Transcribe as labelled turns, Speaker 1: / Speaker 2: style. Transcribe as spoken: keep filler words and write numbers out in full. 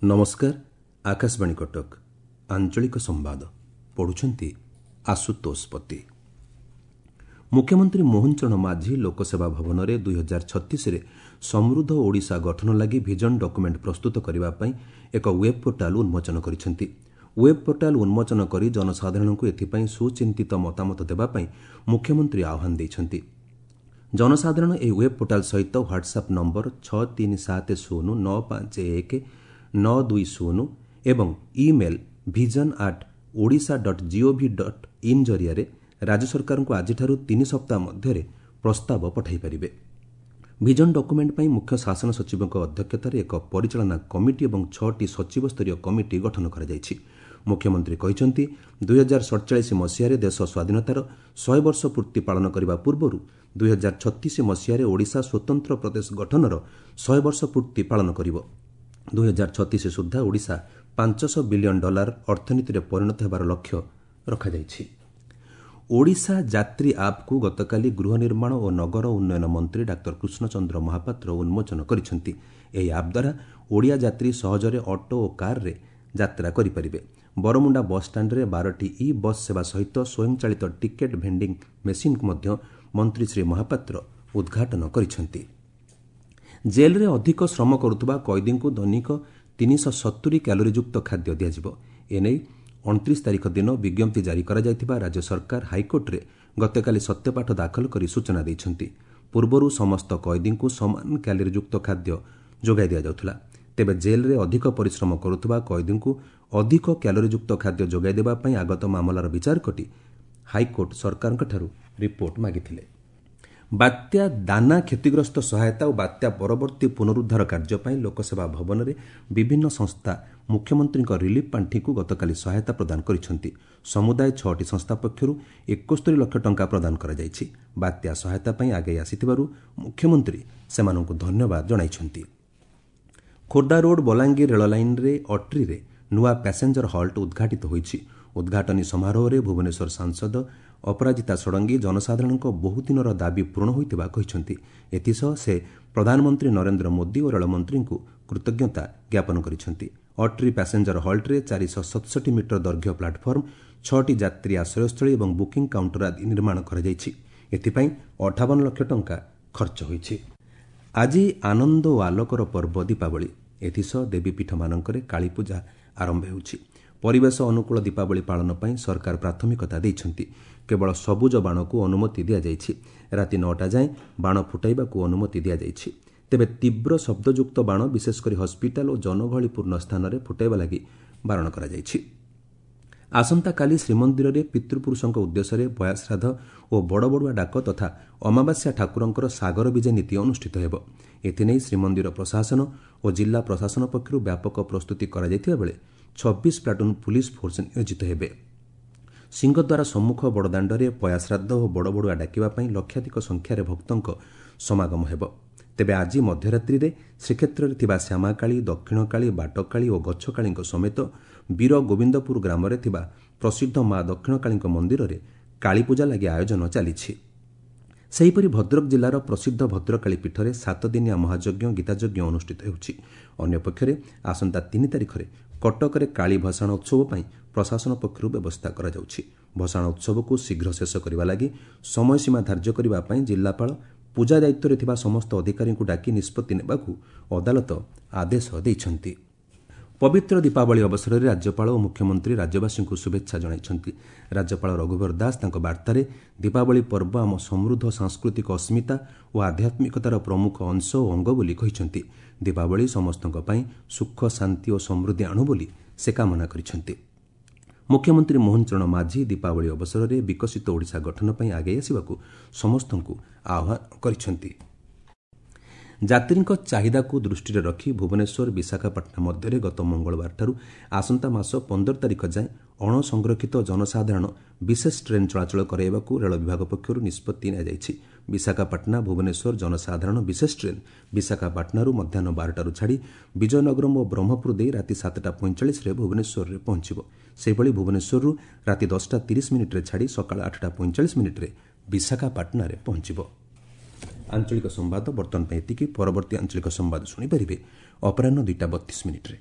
Speaker 1: ନମସ୍କାର, ଆକାଶବାଣୀ କଟକ, ଆଞ୍ଚଳିକ ସମ୍ବାଦ ପଢ଼ୁଛନ୍ତି ଆଶୁତୋଷ ପତି। ମୁଖ୍ୟମନ୍ତ୍ରୀ ମୋହନ ଚରଣ ମାଝୀ ଲୋକସେବା ଭବନରେ ଦୁଇ ହଜାର ଛତିଶରେ ସମୃଦ୍ଧ ଓଡ଼ିଶା ଗଠନ ଲାଗି ଭିଜନ ଡକୁମେଣ୍ଟ ପ୍ରସ୍ତୁତ କରିବା ପାଇଁ ଏକ ୱେବ୍ ପୋର୍ଟାଲ ଉନ୍ମୋଚନ କରିଛନ୍ତି। ୱେବ୍ ପୋର୍ଟାଲ ଉନ୍ମୋଚନ କରି ଜନସାଧାରଣଙ୍କୁ ଏଥିପାଇଁ ସୁଚିନ୍ତିତ ମତାମତ ଦେବା ପାଇଁ ମୁଖ୍ୟମନ୍ତ୍ରୀ ଆହ୍ୱାନ ଦେଇଛନ୍ତି। ଜନସାଧାରଣ ଏହି ୱେବ୍ ପୋର୍ଟାଲ ସହିତ ହ୍ୱାଟ୍ସଆପ୍ ନମ୍ବର ଛଅ ତିନି ସାତ ଶୂନ ନଅ ପାଞ୍ଚ ଏକ ନଅ ଦୁଇ ଶୂନ ଏବଂ email vision at Odisha dot gov dot in ଜରିଆରେ ରାଜ୍ୟ ସରକାରଙ୍କୁ ଆଜିଠାରୁ ତିନି ସପ୍ତାହ ମଧ୍ୟରେ ପ୍ରସ୍ତାବ ପଠାଇ ପାରିବେ। ଭିଜନ ଡକୁମେଣ୍ଟ ପାଇଁ ମୁଖ୍ୟ ଶାସନ ସଚିବଙ୍କ ଅଧ୍ୟକ୍ଷତାରେ ଏକ ପରିଚାଳନା କମିଟି ଏବଂ ଛଅଟି ସଚିବ ସ୍ତରୀୟ କମିଟି ଗଠନ କରାଯାଇଛି। ମୁଖ୍ୟମନ୍ତ୍ରୀ କହିଛନ୍ତି, ଦୁଇହଜାର ସଡ଼ଚାଳିଶ ମସିହାରେ ଦେଶ ସ୍ୱାଧୀନତାର ଶହେ ବର୍ଷ ପୂର୍ତ୍ତି ପାଳନ କରିବା ପୂର୍ବରୁ ଦୁଇହଜାର ଛତିଶ ମସିହାରେ ଓଡ଼ିଶା ସ୍ୱତନ୍ତ୍ର ପ୍ରଦେଶ ଗଠନର ଶହେ ବର୍ଷ ପୂର୍ତ୍ତି ପାଳନ କରିବ। ଦୁଇହଜାର ଛତିଶ ସୁଦ୍ଧା ଓଡ଼ିଶା ପାଞ୍ଚଶହ ବିଲିୟନ ଡଲାର ଅର୍ଥନୀତିରେ ପରିଣତ ହେବାର ଲକ୍ଷ୍ୟ ରଖାଯାଇଛି। ଓଡ଼ିଶା ଯାତ୍ରୀ ଆପ୍କୁ ଗତକାଲି ଗୃହ ନିର୍ମାଣ ଓ ନଗର ଉନ୍ନୟନ ମନ୍ତ୍ରୀ ଡାକ୍ତର କୃଷ୍ଣଚନ୍ଦ୍ର ମହାପାତ୍ର ଉନ୍ମୋଚନ କରିଛନ୍ତି। ଏହି ଆପ୍ ଦ୍ୱାରା ଓଡ଼ିଆ ଯାତ୍ରୀ ସହଜରେ ଅଟୋ ଓ କାର୍ରେ ଯାତ୍ରା କରିପାରିବେ। ବରମୁଣ୍ଡା ବସ୍ଷ୍ଟାଣ୍ଡରେ ବାରଟି ଇ ବସ୍ ସେବା ସହିତ ସ୍ୱୟଂଚାଳିତ ଟିକେଟ୍ ଭେଣ୍ଡିଂ ମେସିନ୍କୁ ମଧ୍ୟ ମନ୍ତ୍ରୀ ଶ୍ରୀ ମହାପାତ୍ର ଉଦ୍ଘାଟନ କରିଛନ୍ତି। ଜେଲ୍ରେ ଅଧିକ ଶ୍ରମ କରୁଥିବା କଏଦୀଙ୍କୁ ଦୈନିକ ତିନିଶହ ସତୁରି କ୍ୟାଲୋରିଯୁକ୍ତ ଖାଦ୍ୟ ଦିଆଯିବ। ଏନେଇ ଅଣତିରିଶ ତାରିଖ ଦିନ ବିଜ୍ଞପ୍ତି ଜାରି କରାଯାଇଥିବା ରାଜ୍ୟ ସରକାର ହାଇକୋର୍ଟରେ ଗତକାଲି ସତ୍ୟପାଠ ଦାଖଲ କରି ସୂଚନା ଦେଇଛନ୍ତି। ପୂର୍ବରୁ ସମସ୍ତ କଏଦୀଙ୍କୁ ସମାନ କ୍ୟାଲୋରିଯୁକ୍ତ ଖାଦ୍ୟ ଯୋଗାଇ ଦିଆଯାଉଥିଲା। ତେବେ ଜେଲ୍ରେ ଅଧିକ ପରିଶ୍ରମ କରୁଥିବା କଏଦୀଙ୍କୁ ଅଧିକ କ୍ୟାଲୋରିଯୁକ୍ତ ଖାଦ୍ୟ ଯୋଗାଇ ଦେବା ପାଇଁ ଆଗତ ମାମଲାର ବିଚାର କରି ହାଇକୋର୍ଟ ସରକାରଙ୍କଠାରୁ ରିପୋର୍ଟ ମାଗିଥିଲେ। ବାତ୍ୟା ଦାନା କ୍ଷତିଗ୍ରସ୍ତ ସହାୟତା ଓ ବାତ୍ୟା ପରବର୍ତ୍ତୀ ପୁନରୁଦ୍ଧାର କାର୍ଯ୍ୟ ପାଇଁ ଲୋକସେବା ଭବନରେ ବିଭିନ୍ନ ସଂସ୍ଥା ମୁଖ୍ୟମନ୍ତ୍ରୀଙ୍କ ରିଲିଫ୍ ପାଣ୍ଠିକୁ ଗତକାଲି ସହାୟତା ପ୍ରଦାନ କରିଛନ୍ତି। ସମୁଦାୟ ଛଅଟି ସଂସ୍ଥା ପକ୍ଷରୁ ଏକସ୍ତରୀ ଲକ୍ଷ ଟଙ୍କା ପ୍ରଦାନ କରାଯାଇଛି। ବାତ୍ୟା ସହାୟତା ପାଇଁ ଆଗେଇ ଆସିଥିବାରୁ ମୁଖ୍ୟମନ୍ତ୍ରୀ ସେମାନଙ୍କୁ ଧନ୍ୟବାଦ ଜଣାଇଛନ୍ତି। ଖୋର୍ଦ୍ଧା ରୋଡ୍ ବଲାଙ୍ଗୀର ରେଳ ଲାଇନ୍ରେ ଅଟ୍ରିରେ ନୂଆ ପ୍ୟାସେଞ୍ଜର ହଲ୍ଟ ଉଦ୍ଘାଟିତ ହୋଇଛି। ଉଦ୍ଘାଟନୀ ସମାରୋହରେ ଭୁବନେଶ୍ୱର ସାଂସଦ ଅପରାଜିତା ଷଡ଼ଙ୍ଗୀ ଜନସାଧାରଣଙ୍କ ବହୁଦିନର ଦାବି ପୂରଣ ହୋଇଥିବା କହିଛନ୍ତି। ଏଥିସହ ସେ ପ୍ରଧାନମନ୍ତ୍ରୀ ନରେନ୍ଦ୍ର ମୋଦି ଓ ରେଳମନ୍ତ୍ରୀଙ୍କୁ କୃତଜ୍ଞତା ଜ୍ଞାପନ କରିଛନ୍ତି। ଅଟ୍ରି ପ୍ୟାସେଞ୍ଜର ହଲ୍ଟରେ ଚାରିଶହ ସତଷଠି ମିଟର ଦୈର୍ଘ୍ୟ ପ୍ଲାଟଫର୍ମ, ଛଅଟି ଯାତ୍ରୀ ଆଶ୍ରୟସ୍ଥଳୀ ଏବଂ ବୁକିଂ କାଉଣ୍ଟର ଆଦି ନିର୍ମାଣ କରାଯାଇଛି। ଏଥିପାଇଁ ଅଠାବନ ଲକ୍ଷ ଟଙ୍କା ଖର୍ଚ୍ଚ ହୋଇଛି। ଆଜି ଆନନ୍ଦ ଓ ଆଲୋକର ପର୍ବ ଦୀପାବଳି। ଏଥିସହ ଦେବୀପୀଠମାନଙ୍କରେ କାଳୀପୂଜା ଆରମ୍ଭ ହେଉଛି। ପରିବେଶ ଅନୁକୂଳ ଦୀପାବଳି ପାଳନ ପାଇଁ ସରକାର ପ୍ରାଥମିକତା ଦେଇଛନ୍ତି। କେବଳ ସବୁଜ ବାଣକୁ ଅନୁମତି ଦିଆଯାଇଛି। ରାତି ନଅଟା ଯାଏଁ ବାଣ ଫୁଟାଇବାକୁ ଅନୁମତି ଦିଆଯାଇଛି। ତେବେ ତୀବ୍ର ଶବ୍ଦଯୁକ୍ତ ବାଣ ବିଶେଷକରି ହସ୍ପିଟାଲ ଓ ଜନଗହଳିପୂର୍ଣ୍ଣ ସ୍ଥାନରେ ଫୁଟାଇବା ଲାଗି ବାରଣ କରାଯାଇଛି। ଆସନ୍ତାକାଲି ଶ୍ରୀମନ୍ଦିରରେ ପିତୃପୁରୁଷଙ୍କ ଉଦ୍ଦେଶ୍ୟରେ ପୟାଶ୍ରାଦ୍ଧ ଓ ବଡ଼ବଡ଼ୁଆ ଡାକ ତଥା ଅମାବାସ୍ୟା ଠାକୁରଙ୍କର ସାଗର ବିଜେ ନୀତି ଅନୁଷ୍ଠିତ ହେବ। ଏଥିନେଇ ଶ୍ରୀମନ୍ଦିର ପ୍ରଶାସନ ଓ ଜିଲ୍ଲା ପ୍ରଶାସନ ପକ୍ଷରୁ ବ୍ୟାପକ ପ୍ରସ୍ତୁତି କରାଯାଇଥିବା ବେଳେ ଛବିଶ ପ୍ଲାଟୁନ୍ ପୁଲିସ ଫୋର୍ସ ନିୟୋଜିତ ହେବେ। ସିଂହଦ୍ୱାର ସମ୍ମୁଖ ବଡ଼ଦାଣ୍ଡରେ ପୟାଶ୍ରାଦ୍ଧ ଓ ବଡ଼ବଡ଼ୁଆ ଡାକିବା ପାଇଁ ଲକ୍ଷାଧିକ ସଂଖ୍ୟାରେ ଭକ୍ତଙ୍କ ସମାଗମ ହେବ। ତେବେ ଆଜି ମଧ୍ୟରାତ୍ରିରେ ଶ୍ରୀକ୍ଷେତ୍ରରେ ଥିବା ଶ୍ୟାମାକାଳୀ, ଦକ୍ଷିଣକାଳୀ, ବାଟକାଳୀ ଓ ଗଛକାଳୀଙ୍କ ସମେତ ବୀର ଗୋବିନ୍ଦପୁର ଗ୍ରାମରେ ଥିବା ପ୍ରସିଦ୍ଧ ମା ଦକ୍ଷିଣକାଳୀଙ୍କ ମନ୍ଦିରରେ କାଳୀପୂଜା ଲାଗି ଆୟୋଜନ ଚାଲିଛି। ସେହିପରି ଭଦ୍ରକ ଜିଲ୍ଲାର ପ୍ରସିଦ୍ଧ ଭଦ୍ରକାଳୀ ପୀଠରେ ସାତଦିନିଆ ମହାଯଜ୍ଞ ଗୀତାଯଜ୍ଞ ଅନୁଷ୍ଠିତ ହେଉଛି। ଅନ୍ୟପକ୍ଷରେ ଆସନ୍ତା ତିନି ତାରିଖରେ କଟକରେ କାଳୀ ଭସାଣ ଉତ୍ସବ ପାଇଁ ପ୍ରଶାସନ ପକ୍ଷରୁ ବ୍ୟବସ୍ଥା କରାଯାଉଛି। ଭସାଣ ଉତ୍ସବକୁ ଶୀଘ୍ର ଶେଷ କରିବା ଲାଗି ସମୟସୀମା ଧାର୍ଯ୍ୟ କରିବା ପାଇଁ ଜିଲ୍ଲାପାଳ ପୂଜା ଦାୟିତ୍ୱରେ ଥିବା ସମସ୍ତ ଅଧିକାରୀଙ୍କୁ ଡାକି ନିଷ୍ପତ୍ତି ନେବାକୁ ଅଦାଲତ ଆଦେଶ ଦେଇଛନ୍ତି। ପବିତ୍ର ଦୀପାବଳି ଅବସରରେ ରାଜ୍ୟପାଳ ଓ ମୁଖ୍ୟମନ୍ତ୍ରୀ ରାଜ୍ୟବାସୀଙ୍କୁ ଶୁଭେଚ୍ଛା ଜଣାଇଛନ୍ତି। ରାଜ୍ୟପାଳ ରଘୁବର ଦାସ ତାଙ୍କ ବାର୍ତ୍ତାରେ ଦୀପାବଳି ପର୍ବ ଆମ ସମୃଦ୍ଧ ସାଂସ୍କୃତିକ ଅସ୍ମିତା ଓ ଆଧ୍ୟାତ୍ମିକତାର ପ୍ରମୁଖ ଅଂଶ ଓ ଅଙ୍ଗ ବୋଲି କହିଛନ୍ତି। ଦୀପାବଳି ସମସ୍ତଙ୍କ ପାଇଁ ସୁଖ, ଶାନ୍ତି ଓ ସମୃଦ୍ଧି ଆଣୁ ବୋଲି ସେ କାମନା କରିଛନ୍ତି। ମୁଖ୍ୟମନ୍ତ୍ରୀ ମୋହନ ଚରଣ ମାଝୀ ଦୀପାବଳି ଅବସରରେ ବିକଶିତ ଓଡ଼ିଶା ଗଠନ ପାଇଁ ଆଗେଇ ଆସିବାକୁ ସମସ୍ତଙ୍କୁ ଆହ୍ୱାନ କରିଛନ୍ତି। ଯାତ୍ରୀଙ୍କ ଚାହିଦାକୁ ଦୃଷ୍ଟିରେ ରଖି ଭୁବନେଶ୍ୱର ବିଶାଖାପାଟଣା ମଧ୍ୟରେ ଗତ ମଙ୍ଗଳବାରଠାରୁ ଆସନ୍ତା ମାସ ପନ୍ଦର ତାରିଖ ଯାଏଁ ଅଣସଂରକ୍ଷିତ ଜନସାଧାରଣ ବିଶେଷ ଟ୍ରେନ୍ ଚଳାଚଳ କରାଇବାକୁ ରେଳ ବିଭାଗ ପକ୍ଷରୁ ନିଷ୍ପତ୍ତି ନିଆଯାଇଛି। ବିଶାଖାପାଟଣା ଭୁବନେଶ୍ୱର ଜନସାଧାରଣ ବିଶେଷ ଟ୍ରେନ୍ ବିଶାଖାପାଟଣାରୁ ମଧ୍ୟାହ୍ନ ବାରଟାରୁ ଛାଡ଼ି ବିଜୟନଗରମ ଓ ବ୍ରହ୍ମପୁର ଦେଇ ରାତି ସାତଟା ପଇଁଚାଳିଶରେ ଭୁବନେଶ୍ୱରରେ ପହଞ୍ଚିବ। ସେହିଭଳି ଭୁବନେଶ୍ୱରରୁ ରାତି ଦଶଟା ତିରିଶ ମିନିଟ୍ରେ ଛାଡ଼ି ସକାଳ ଆଠଟା ପଇଁଚାଳିଶ ମିନିଟ୍ରେ ବିଶାଖାପାଟଣାରେ ପହଞ୍ଚିବ। ଆଞ୍ଚଳିକ ସମ୍ବାଦ ବର୍ତ୍ତମାନ ପାଇଁ ଏତିକି। ପରବର୍ତ୍ତୀ ଆଞ୍ଚଳିକ ସମ୍ବାଦ ଶୁଣିପାରିବେ ଅପରାହ୍ନ ଦୁଇଟା ବତିଶ ମିନିଟ୍ରେ।